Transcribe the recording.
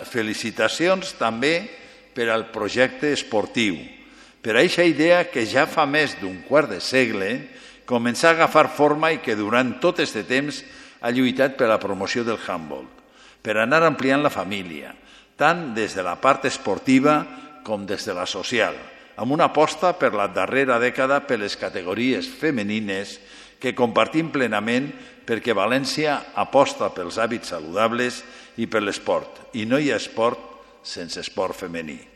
Felicitacions també per al projecte esportiu, per a aquesta idea que ja fa més d'un quart de segle començà a agafar forma i que durant tot aquest temps ha lluitat per la promoció del handball, per anar ampliant la família, tant des de la part esportiva com des de la social, amb una aposta per la darrera dècada per les categories femenines que compartim plenament perquè València aposta pels hàbits saludables i per l'esport, i no hi ha esport sense esport femení.